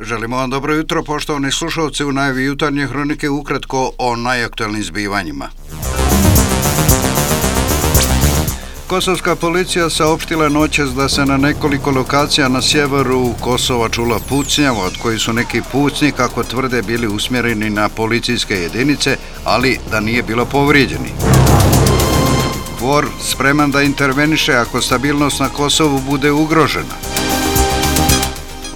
Želimo vam dobro jutro, poštovani slušalci, u najavi jutarnje hronike ukratko o najaktualnim zbivanjima. Kosovska policija saopštila noćas da se na nekoliko lokacija na sjeveru Kosova čula pucnjava, od kojih su neki pucnji, kako tvrde, bili usmjereni na policijske jedinice, ali da nije bilo povrijeđeni. KFOR spreman da interveniše ako stabilnost na Kosovu bude ugrožena.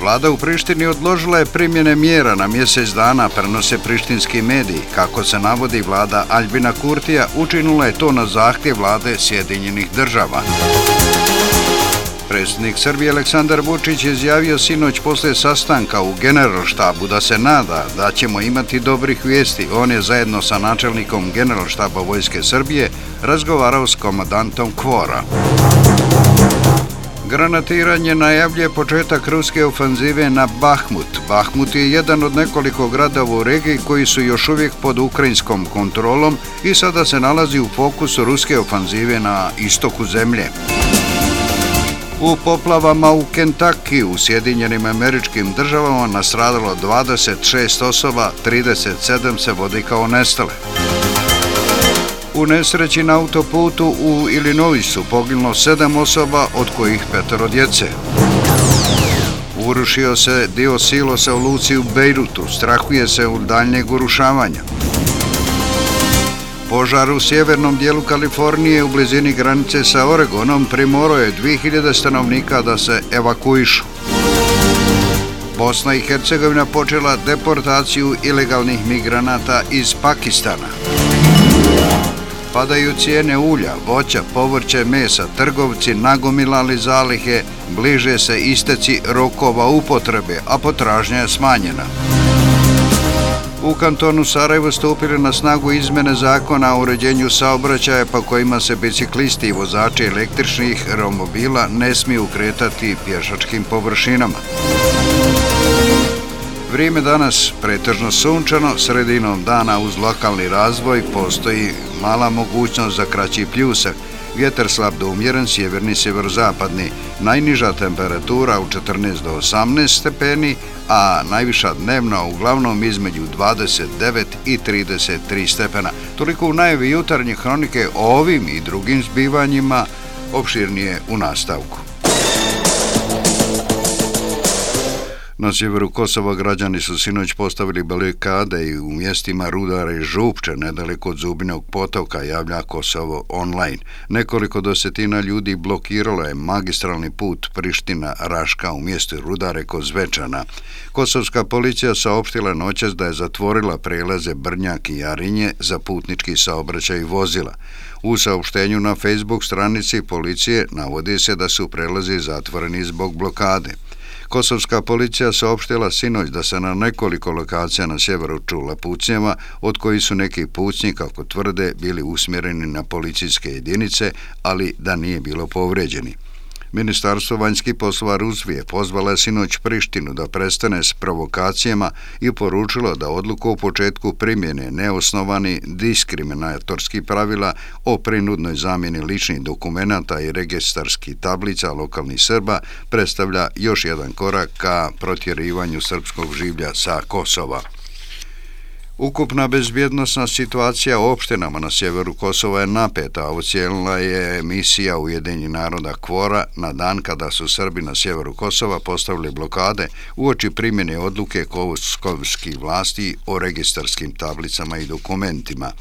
Vlada u Prištini odložila je primjene mjera na mjesec dana, prenose prištinski mediji. Kako se navodi, vlada Aljbina Kurtija učinila je to na zahtjev vlade Sjedinjenih država. Predsjednik Srbije Aleksandar Vučić je izjavio sinoć poslije sastanka u Generalštabu da se nada da ćemo imati dobrih vijesti. On je zajedno sa načelnikom Generalštaba Vojske Srbije razgovarao s komandantom KFOR-a. Granatiranje najavljuje početak ruske ofanzive na Bahmut. Bahmut je jedan od nekoliko gradova u regiji koji su još uvijek pod ukrajinskom kontrolom i sada se nalazi u fokusu ruske ofanzive na istoku zemlje. U poplavama u Kentucky u Sjedinjenim Američkim Državama nastradalo 26 osoba, 37 se vodi kao nestale. U nesreći na autoputu u Illinoisu poginulo 7 osoba, od kojih 5 djece. Urušio se dio silosa u luci u Bejrutu, strahuje se od daljnjeg urušavanja. Požar u sjevernom dijelu Kalifornije u blizini granice sa Oregonom primorao je 2000 stanovnika da se evakuišu. Bosna i Hercegovina počela deportaciju ilegalnih migranata iz Pakistana. Padaju cijene ulja, voća, povrće, mesa, trgovci nagomilali zalihe, bliže se isteci rokova upotrebe, a potražnja je smanjena. U kantonu Sarajevo stupili na snagu izmjene zakona o uređenju saobraćaja po kojima se biciklisti i vozači električnih romobila ne smiju kretati pješačkim površinama. Vrijeme danas pretežno sunčano, sredinom dana uz lokalni razvoj postoji mala mogućnost za kraći pljusak. Vjetar slab do umjeren, sjeverni sjeverozapadni, najniža temperatura u 14 do 18 stepeni, a najviša dnevna uglavnom između 29 i 33 stepena. Toliko u najavi jutarnje hronike o ovim i drugim zbivanjima, opširnije u nastavku. Na sjeveru Kosova građani su sinoć postavili barikade i u mjestima Rudare i Župče, nedaleko od Zubinog potoka, javlja Kosovo online. Nekoliko desetina ljudi blokiralo je magistralni put Priština-Raška u mjestu Rudare kod Zvečana. Kosovska policija saopštila noćas da je zatvorila prelaze Brnjak i Jarinje za putnički saobraćaj vozila. U saopštenju na Facebook stranici policije navodi se da su prelazi zatvoreni zbog blokade. Kosovska policija saopštila sinoć da se na nekoliko lokacija na sjeveru čula pucnjava, od kojih su neki pucnji, kako tvrde, bili usmjereni na policijske jedinice, ali da nije bilo povrijeđeni. Ministarstvo vanjskih poslova Rusije pozvala je sinoć Prištinu da prestane s provokacijama i poručilo da odluku o početku primjene neosnovani diskriminatorskih pravila o prinudnoj zamjeni ličnih dokumenata i registarskih tablica lokalnih Srba predstavlja još jedan korak ka protjerivanju srpskog življa sa Kosova. Ukupna bezbjednosna situacija u opštinama na sjeveru Kosova je napeta, ocijenila je misija Ujedinjenih naroda KFOR-a na dan kada su Srbi na sjeveru Kosova postavili blokade uoči primjene odluke kosovskih vlasti o registarskim tablicama i dokumentima.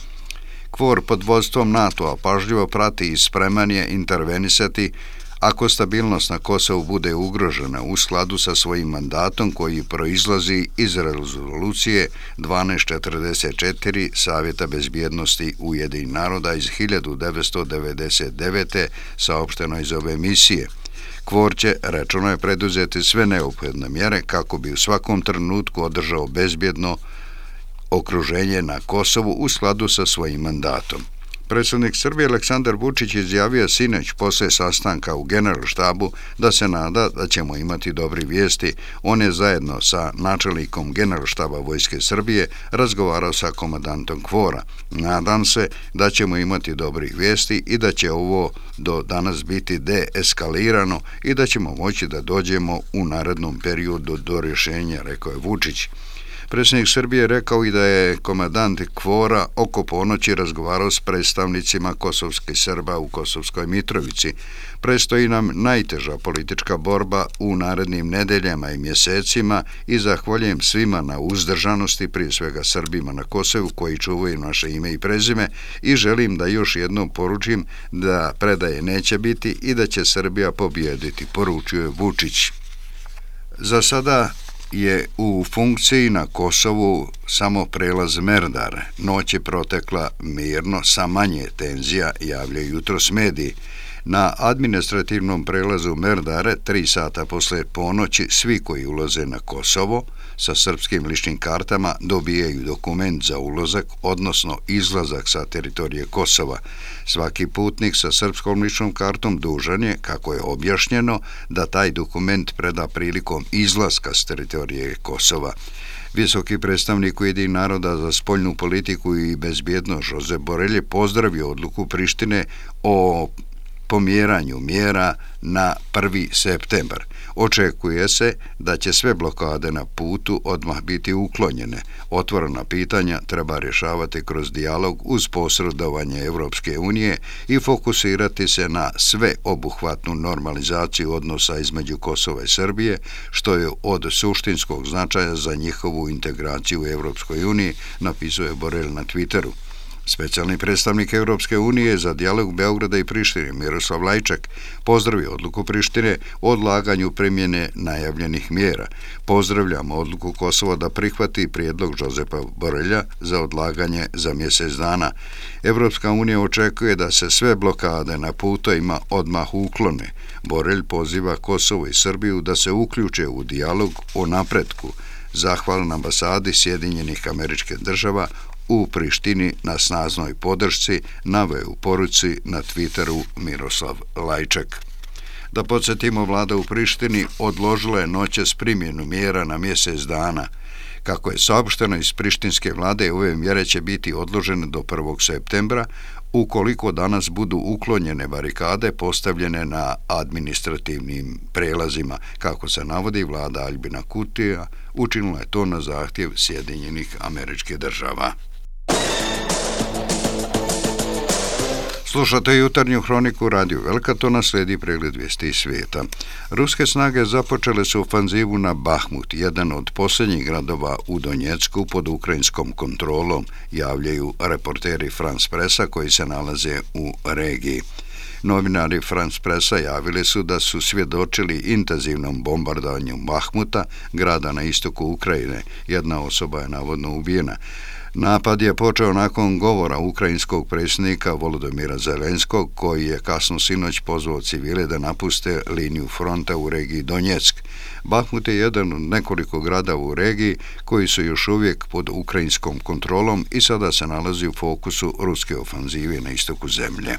KFOR pod vodstvom NATO-a pažljivo prati i spreman je intervenisati ako stabilnost na Kosovu bude ugrožena u skladu sa svojim mandatom koji proizlazi iz rezolucije 1244 Savjeta bezbjednosti Ujedinjenih naroda iz 1999. saopšteno iz ove misije. KFOR će, rečeno je, preduzeti sve neophodne mjere kako bi u svakom trenutku održao bezbjedno okruženje na Kosovu u skladu sa svojim mandatom. Predsjednik Srbije Aleksandar Vučić izjavio sinoć poslije sastanka u Generalštabu da se nada da ćemo imati dobri vijesti. On je zajedno sa načelnikom Generalštaba Vojske Srbije razgovarao sa komandantom KFOR-a. Nadam se da ćemo imati dobri vijesti i da će ovo do danas biti deeskalirano i da ćemo moći da dođemo u narednom periodu do rješenja, rekao je Vučić. Predsjednik Srbije rekao i da je komandant KFOR-a oko ponoći razgovarao s predstavnicima kosovskih Srba u Kosovskoj Mitrovici. Predstoji nam najteža politička borba u narednim nedeljama i mjesecima i zahvaljujem svima na uzdržanosti, prije svega Srbima na Kosovu koji čuvaju naše ime i prezime, i želim da još jednom poručim da predaje neće biti i da će Srbija pobijediti, poručio je Vučić. Za sada je u funkciji na Kosovu samo prelaz Merdar. Noć je protekla mirno sa manje tenzija, javljaju jutros mediji. Na administrativnom prelazu Merdare 3 sata posle ponoći svi koji ulaze na Kosovo sa srpskim ličnim kartama dobijaju dokument za ulazak, odnosno izlazak sa teritorije Kosova. Svaki putnik sa srpskom ličnom kartom dužan je, kako je objašnjeno, da taj dokument preda prilikom izlaska s teritorije Kosova. Visoki predstavnik Ujedinjenih naroda za spoljnu politiku i bezbjednost Josep Borrell je pozdravio odluku Prištine o pomjeranju mjera na 1. septembar. Očekuje se da će sve blokade na putu odmah biti uklonjene. Otvorena pitanja treba rješavati kroz dijalog uz posredovanje Europske unije i fokusirati se na sveobuhvatnu normalizaciju odnosa između Kosova i Srbije, što je od suštinskog značaja za njihovu integraciju u Europskoj uniji, napisuje Borrell na Twitteru. Specijalni predstavnik Europske unije za dijalog Beograda i Prištine Miroslav Lajčak pozdravio odluku Prištine o odlaganju primjene najavljenih mjera. Pozdravljamo odluku Kosova da prihvati prijedlog Josepa Borrella za odlaganje za mjesec dana. Europska unija očekuje da se sve blokade na putovima odmah uklone. Borrell poziva Kosovo i Srbiju da se uključe u dijalog o napretku. Zahvalan ambasadi Sjedinjenih Američkih Država u Prištini na snažnoj podršci, naveo u poruci na Twitteru Miroslav Lajčak. Da podsjetimo, vlada u Prištini odložila je noćas primjenu mjera na mjesec dana. Kako je saopšteno iz prištinske vlade, ove mjere će biti odložene do 1. septembra, ukoliko danas budu uklonjene barikade postavljene na administrativnim prelazima. Kako se navodi, vlada Albina Kurtija učinila je to na zahtjev Sjedinjenih Američkih Država. Slušate jutarnju hroniku Radio Velkatona, slijedi pregled vijesti iz svijeta. Ruske snage započele su ofanzivu na Bahmut, jedan od posljednjih gradova u Donjecku pod ukrajinskom kontrolom, javljaju reporteri France Pressa koji se nalaze u regiji. Novinari France Pressa javili su da su svjedočili intenzivnom bombardovanju Bahmuta, grada na istoku Ukrajine. Jedna osoba je navodno ubijena. Napad je počeo nakon govora ukrajinskog predsjednika Volodymyra Zelenskog, koji je kasno sinoć pozvao civile da napuste liniju fronta u regiji Donjeck. Bahmut je jedan od nekoliko grada u regiji koji su još uvijek pod ukrajinskom kontrolom i sada se nalazi u fokusu ruske ofanzive na istoku zemlje.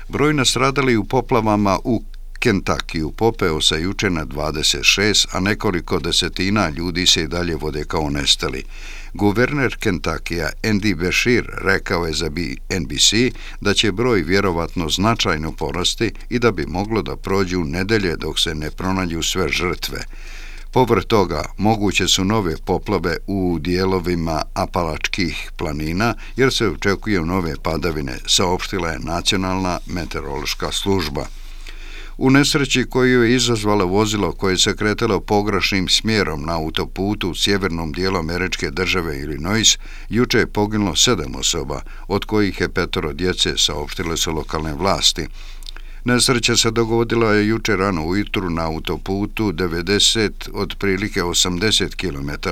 Broj nastradalih u poplavama u Kentakiju popeo se jučer na 26, a nekoliko desetina ljudi se i dalje vode kao nestali. Guverner Kentakija Andy Beshear rekao je za NBC da će broj vjerovatno značajno porasti i da bi moglo da prođu nedelje dok se ne pronađu sve žrtve. Povrh toga, moguće su nove poplave u dijelovima Apalačkih planina jer se očekuju nove padavine, saopštila je Nacionalna meteorološka služba. U nesreći koju je izazvalo vozilo koje se kretalo pogrešnim smjerom na autoputu u sjevernom dijelu američke države Illinois, juče je poginulo 7 osoba, od kojih je 5 djece, saopštile su lokalne vlasti. Nesreća se dogodila je jučer rano ujutru na autoputu 90, otprilike 80 km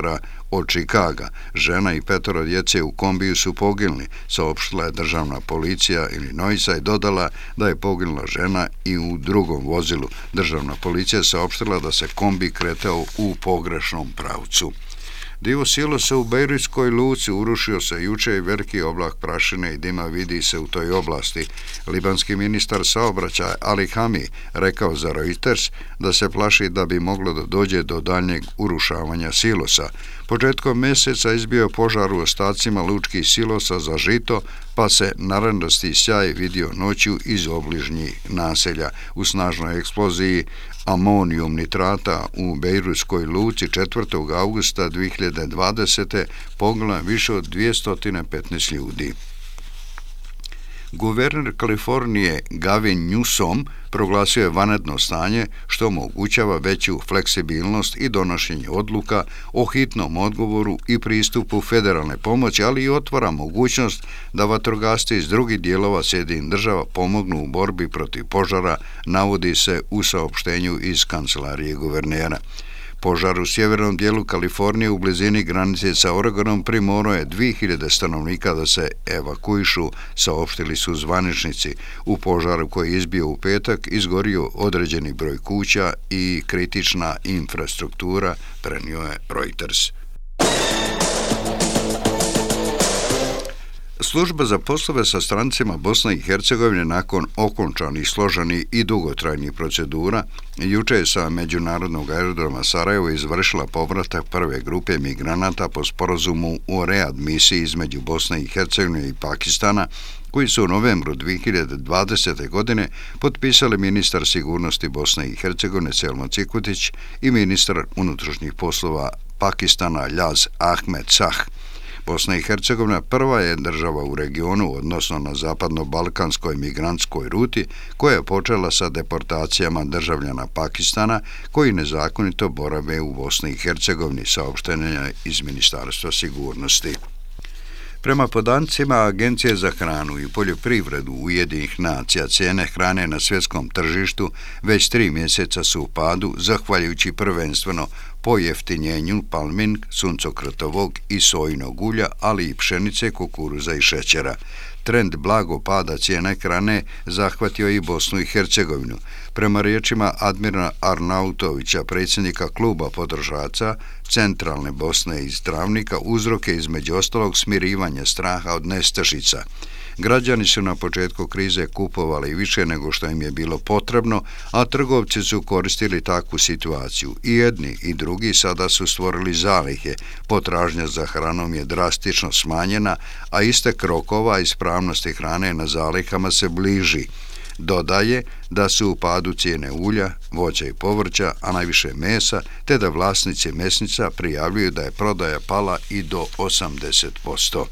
od Čikaga. Žena i 5 djece u kombiju su poginuli, saopštila je državna policija Illinoisa i dodala da je poginula žena i u drugom vozilu. Državna policija saopštila da se kombi kretao u pogrešnom pravcu. Dio silosa u Bejrutskoj luci urušio se juče i veliki oblak prašine i dima vidi se u toj oblasti. Libanski ministar saobraćaja Ali Hami rekao za Reuters da se plaši da bi moglo da dođe do daljnjeg urušavanja silosa. Početkom mjeseca izbio požar u ostacima lučkih silosa za žito, pa se narandasti sjaj vidio noću iz obližnjih naselja. U snažnoj eksploziji amonijum nitrata u Bejrutskoj luci 4. augusta 2020. poginulo više od 215 ljudi. Guverner Kalifornije Gavin Newsom proglasio je vanredno stanje što omogućava veću fleksibilnost i donošenje odluka o hitnom odgovoru i pristupu federalne pomoći, ali i otvara mogućnost da vatrogasci iz drugih dijelova Sjedinjenih država pomognu u borbi protiv požara, navodi se u saopštenju iz kancelarije guvernera. Požar u sjevernom dijelu Kalifornije u blizini granice sa Oregonom primorao je 2000 stanovnika da se evakuišu, saopštili su zvaničnici. U požaru koji je izbio u petak izgorio određeni broj kuća i kritična infrastruktura, prenio je Reuters. Služba za poslove sa strancima Bosne i Hercegovine nakon okončanih, složenih i dugotrajnih procedura juče je sa međunarodnog aerodroma Sarajevo izvršila povratak prve grupe migranata po sporazumu o readmisiji između Bosne i Hercegovine i Pakistana, koji su u novembru 2020. godine potpisali ministar sigurnosti Bosne i Hercegovine Selmo Cikutić i ministar unutrašnjih poslova Pakistana Ljaz Ahmed Sah. Bosna i Hercegovina prva je država u regionu, odnosno na zapadno-balkanskoj migrantskoj ruti, koja je počela sa deportacijama državljana Pakistana koji nezakonito borave u Bosni i Hercegovini, saopštenja iz Ministarstva sigurnosti. Prema podacima Agencije za hranu i poljoprivredu Ujedinjenih nacija, cijene hrane na svjetskom tržištu već 3 mjeseca su u padu, zahvaljujući prvenstveno pojeftinjenju palmin, suncokretovog i sojinog ulja, ali i pšenice, kukuruza i šećera. Trend blago pada cijene hrane zahvatio i Bosnu i Hercegovinu. Prema riječima Admira Arnautovića, predsjednika kluba potrošača Centralne Bosne iz Travnika, uzrok je između ostalog smirivanje straha od nestašica. Građani su na početku krize kupovali više nego što im je bilo potrebno, a trgovci su koristili takvu situaciju. I jedni i drugi sada su stvorili zalihe. Potražnja za hranom je drastično smanjena, a istek rokova ispravnosti hrane na zalihama se bliži. Dodaje da su u padu cijene ulja, voća i povrća, a najviše mesa, te da vlasnici mesnica prijavljuju da je prodaja pala i do 80%.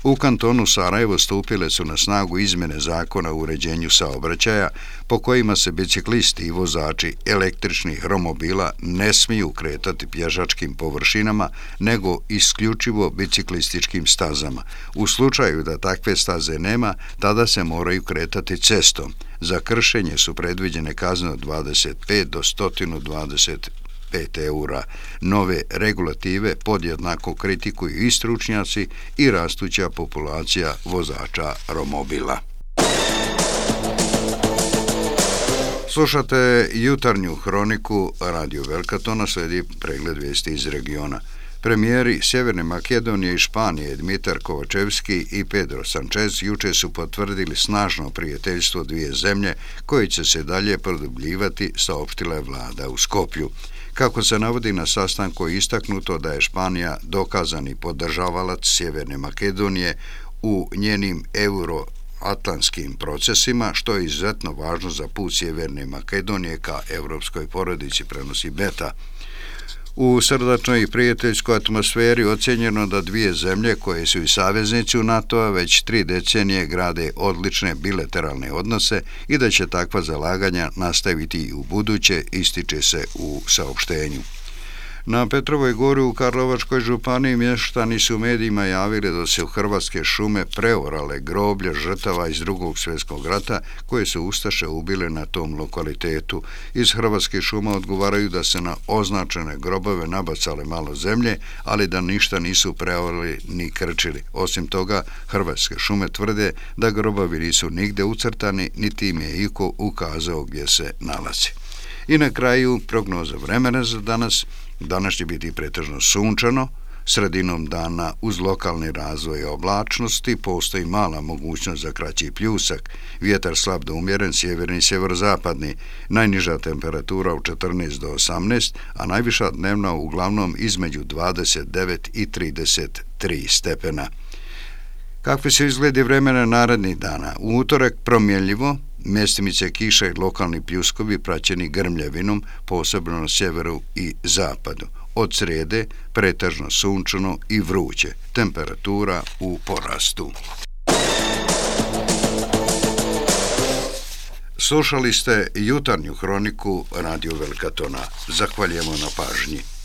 U kantonu Sarajevo stupile su na snagu izmjene zakona o uređenju saobraćaja po kojima se biciklisti i vozači električnih romobila ne smiju kretati pješačkim površinama nego isključivo biciklističkim stazama. U slučaju da takve staze nema, tada se moraju kretati cestom. Za kršenje su predviđene kazne od 25 do 125 eura. Nove regulative podjednako kritikuju i stručnjaci i rastuća populacija vozača romobila. Slušate jutarnju hroniku Radio Velkatona, slijedi pregled vijesti iz regiona. Premijeri Sjeverne Makedonije i Španije Dmitar Kovačevski i Pedro Sanchez juče su potvrdili snažno prijateljstvo dvije zemlje koje će se dalje produbljivati, saopštila je vlada u Skopju. Kako se navodi na sastanku, istaknuto da je Španija dokazani podržavalac Sjeverne Makedonije u njenim euroatlantskim procesima, što je izuzetno važno za put Sjeverne Makedonije ka europskoj porodici, prenosi Beta. U srdačnoj i prijateljskoj atmosferi ocjenjeno da dvije zemlje koje su i saveznici u NATO-a već 3 decenije grade odlične bilateralne odnose i da će takva zalaganja nastaviti i u buduće, ističe se u saopštenju. Na Petrovoj gori u Karlovačkoj županiji mještani su medijima javili da se u Hrvatske šume preorale groblja žrtava iz Drugog svjetskog rata koje su ustaše ubile na tom lokalitetu. Iz Hrvatskih šuma odgovaraju da se na označene grobove nabacale malo zemlje, ali da ništa nisu preorali ni krčili. Osim toga, Hrvatske šume tvrde da grobovi nisu nigde ucrtani, niti im je iko ukazao gdje se nalazi. I na kraju prognoza vremena za danas. Danas će biti pretežno sunčano, sredinom dana uz lokalni razvoj oblačnosti postoji mala mogućnost za kraći pljusak, vjetar slab do umjeren, sjeverni i sjeverozapadni, najniža temperatura u 14 do 18, a najviša dnevna uglavnom između 29 i 33 stepena. Kakvi su izgledi vremena narednih dana? U utorak promjenljivo, mjestimice kiša i lokalni pljuskovi praćeni grmljavinom, posebno na sjeveru i zapadu. Od srijede pretežno sunčano i vruće, temperatura u porastu. Slušali ste jutarnju hroniku Radio Velika Tona. Zahvaljujemo na pažnji.